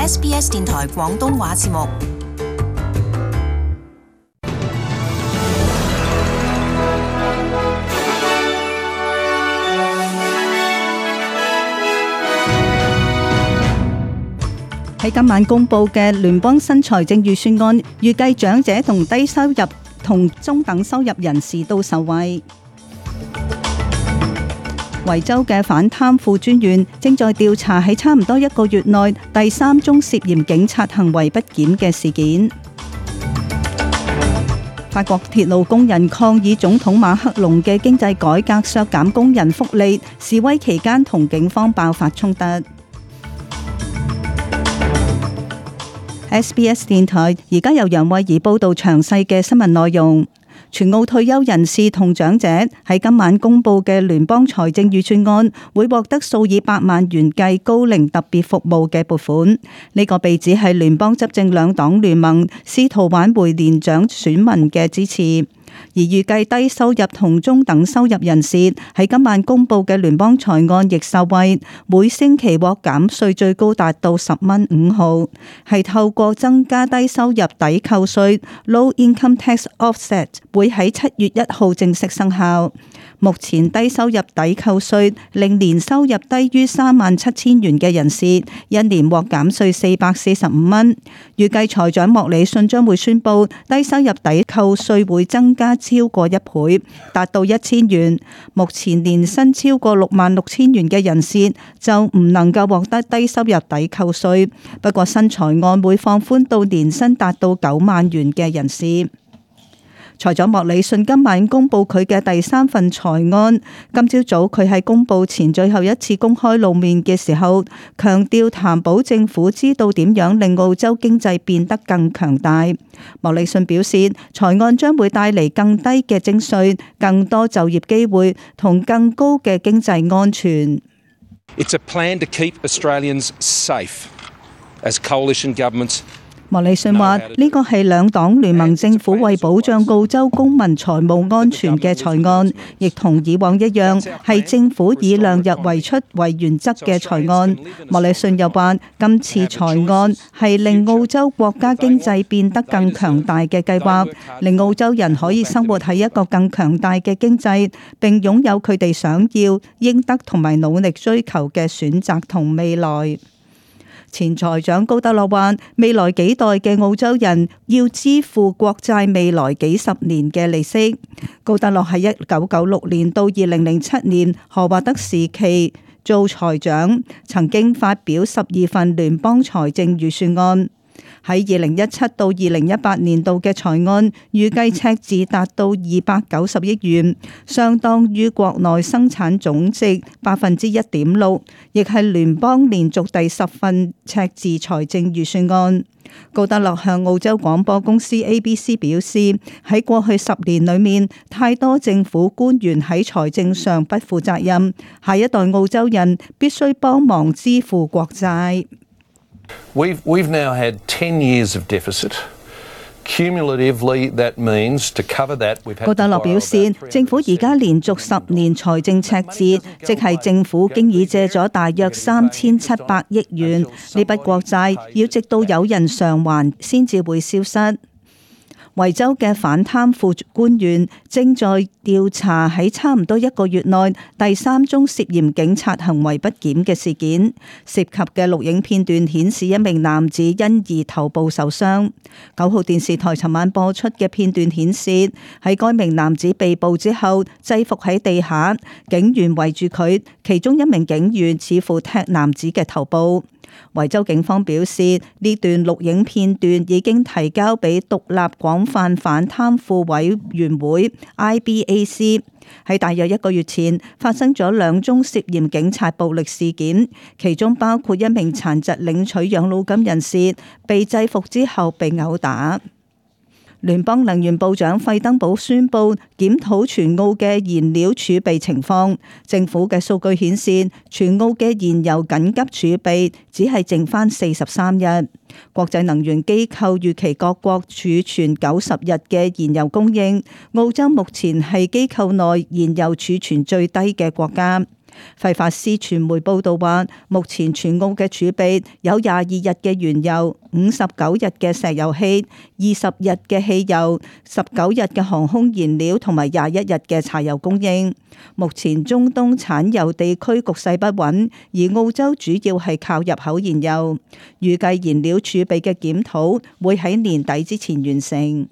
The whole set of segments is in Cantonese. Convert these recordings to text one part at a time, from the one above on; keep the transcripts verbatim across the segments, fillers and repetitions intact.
S B S 電台廣東話節目。喺今晚公布嘅聯邦新財政預算案，預計長者同低收入同中等收入人士都受惠。維州嘅反貪腐專員正在調查喺差唔多一個月內第三宗涉嫌警察行為不檢嘅事件。法國鐵路工人抗議總統馬克龍嘅經濟改革削減工人福利，示威期間同警方爆發衝突。S B S 電台而家由楊慧儀報道詳細嘅新聞內容。全澳退休人士同長者喺今晚公布嘅聯邦財政預算案，會獲得數以百萬元計高齡特別服務嘅撥款。呢、這個被指係聯邦執政兩黨聯盟試圖挽回年長選民嘅支持。而預計低收入同中等收入人士喺今晚公布嘅聯邦財案亦受惠，每星期獲減稅最高達到十蚊五毫，係透過增加低收入抵扣稅 （Low Income Tax Offset） 會喺七月一號正式生效。目前低收入抵扣稅令年收入低於三萬七千元嘅人士一年獲減稅四百四十五蚊。預計財長莫里遜將會宣布低收入抵扣稅會增加超過一倍，達到一千元。目前年薪超過六萬六千元嘅人士就唔能夠獲得低收入抵扣稅。不過新財案會放寬到年薪達到九萬元嘅人士。財長莫里遜今晚公布佢嘅第三份財案。今朝早佢喺公布前最後一次公開露面嘅時候，強調擔保政府知道點樣令澳洲經濟變得更強大。莫里遜表示，財案將會帶嚟更低嘅徵稅、更多就業機會同更高嘅經濟安全。It's a plan to keep Australians safe as coalition governments。莫里遜話：呢個係兩黨聯盟政府為保障澳洲公民財務安全嘅財案，亦同以往一樣係政府以量入為出為原則嘅財案。莫里遜又話：今次財案係令澳洲國家經濟變得更強大嘅計劃，令澳洲人可以生活喺一個更強大嘅經濟，並擁有佢哋想要、應得同埋努力追求嘅選擇同未來。前財長高德樂話：未來幾代嘅澳洲人要支付國債未來幾十年嘅利息。高德樂喺一九九六年到二零零七年何華德時期做財長，曾經發表十二份聯邦財政預算案。喺二零一七到二零一八年度嘅財案，預計赤字達到二百九十億元，相當於國內生產總值百分之一點六，亦係聯邦連續第十份赤字財政預算案。高德樂向澳洲廣播公司 A B C 表示，喺過去十年裏面，太多政府官員喺財政上不負責任，下一代澳洲人必須幫忙支付國債。We've, we've now had ten years of deficit. Cumulatively, that means to cover that, we've had 高德樂表示，政府而家連續十年財政赤字，即係政府經已借咗大約三千七百億元，呢筆國債要直到有人償還先至會消失。維州嘅反貪腐官員正在調查喺差唔多一個月內第三宗涉嫌警察行為不檢嘅事件，涉及嘅錄影片段顯示一名男子因而頭部受傷。九號電視台尋晚播出嘅片段顯示，喺該名男子被捕之後制服喺地下，警員圍住佢，其中一名警員似乎踢男子嘅頭部。維州警方表示，呢段錄影片段已經提交俾獨立廣泛反貪腐委員會 I B A C。喺大約一個月前發生咗兩宗涉嫌警察暴力事件，其中包括一名殘疾領取養老金人士被制服之後被毆打。聯邦能源部長費登堡宣布檢討全澳嘅燃料儲備情況。政府嘅數據顯示，全澳嘅燃油緊急儲備只係剩返四十三日。國際能源機構預期各國儲存九十日嘅燃油供應。澳洲目前係機構內燃油儲存最低嘅國家。費法斯傳媒報道話，目前全澳嘅儲備有廿二日嘅原油、五十九日嘅石油氣、二十日嘅汽油、十九日嘅航空燃料同埋廿一日嘅柴油供應。目前中東產油地區局勢不穩，而澳洲主要係靠入口燃油。預計燃料儲備嘅檢討會喺年底之前完成。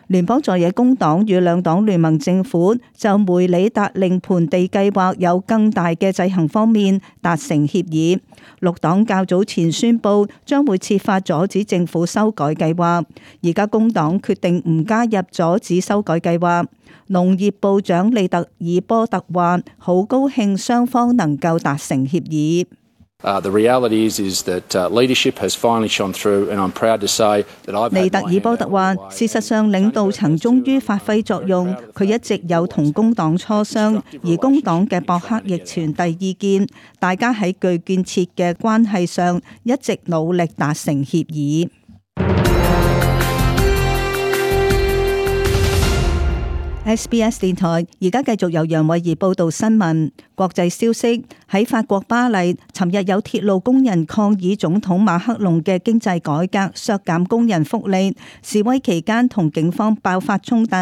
聯邦在野工黨與兩黨聯盟政府就梅里達令盆地計劃有更大嘅制衡方面達成協議。綠黨較早前宣布將會設法阻止政府修改計劃，而家工黨決定唔加入阻止修改計劃。農業部長利特爾波特話：好高興雙方能夠達成協議。Uh, the reality is, is that uh, leadership has finally shone through, and I'm proud to say that I've. 利特爾波特話：事實上，領導層終於發揮作用。佢一直有同工黨磋商，而工黨嘅博克亦傳遞意見。大家喺具建設嘅關係上一直努力達成協議。S B S 電台而家繼續由楊慧儀報道新聞。國際消息，喺法國巴黎，尋日有鐵路工人抗議總統馬克龍嘅經濟改革，削減工人福利。示威期間同警方爆發衝突，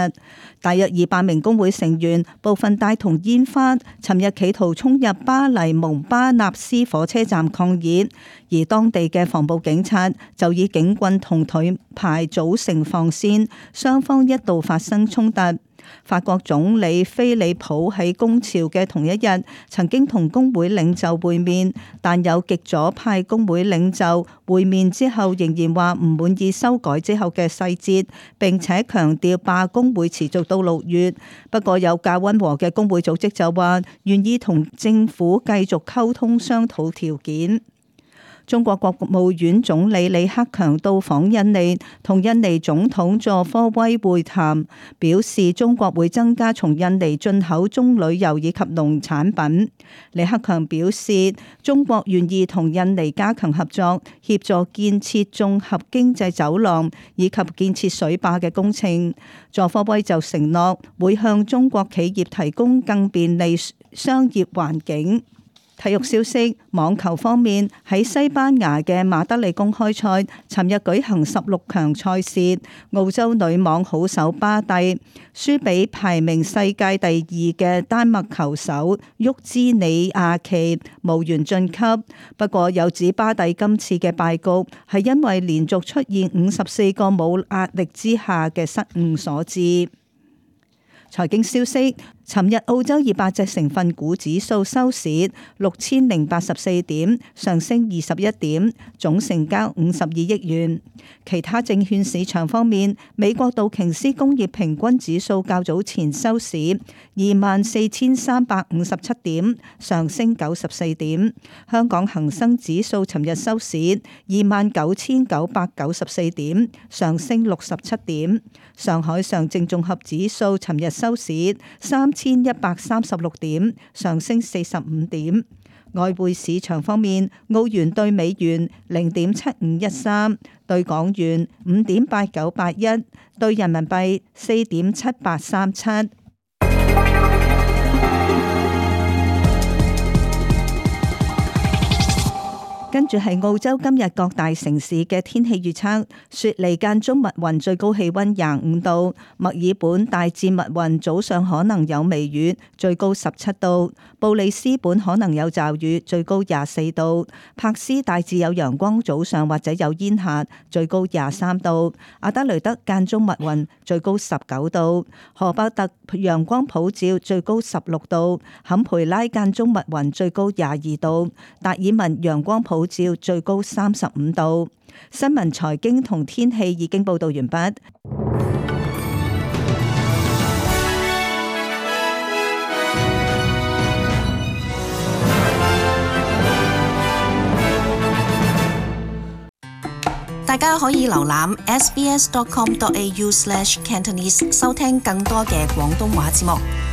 大約二百名工會成員，部分帶同煙花，尋日企圖衝入巴黎蒙巴納斯火車站抗議，而當地嘅防暴警察就以警棍同盾牌組成防線，雙方一度發生衝突。法國總理菲利普喺工潮嘅同一日曾經同工會領袖會面，但有極左派工會領袖會面之後仍然話唔滿意修改之後嘅細節，並且強調罷工會持續到六月。不過有較溫和嘅工會組織就話願意同政府繼續溝通商討條件。中國國務院總理李克強到訪印尼，同印尼總統佐科威會談，表示中國會增加從印尼進口棕櫚油以及農產品。李克強表示，中國願意同印尼加強合作，協助建設綜合經濟走廊以及建設水壩嘅工程。佐科威就承諾會向中國企業提供更便利商業環境。體育消息，網球方面，喺西班牙嘅馬德里公開賽，尋日舉行十六強賽事，澳洲女網好手巴蒂輸俾排名世界第二嘅丹麥球手沃茲尼亞奇，無緣晉級。不過有指巴蒂今次嘅敗局係因為連續出現五十四個冇壓力之下嘅失誤所致。財經消息，尋日澳洲二百隻成分股指數收市六千零八十四點，上升二十一點，總成交五十二億元。其他證券市場方面，美國道瓊斯工業平均指數較早前收市二萬四千三百五十七點，上升九十四點。香港恒生指數尋日收市二萬九千九百九十四點，上升六十七點。上海上證綜合指數尋日收市三千一百三十六點，上升四十五點。外匯市場方面，澳元兌美元零點七五一三，兌港元五點八九八一，兌人民幣四點七八三七。跟住係澳洲今日各大城市嘅天氣預測：雪梨間中密雲，最高氣溫廿五度；墨爾本大致密雲，早上可能有微雨，最高十七度；布里斯本可能有驟雨，最高廿四度；柏斯大致有陽光，早上或者有煙霞，最高廿三度；阿德雷德間中密雲，最高十九度；荷伯特陽光普照，最高十六度；坎培拉間中密雲，最高廿二度；達爾文陽光普照，最高三十五度。新聞、財經同天氣已經報道完畢。大家可以瀏覽 s b s dot com dot a u slash cantonese 收聽更多嘅廣東話節目。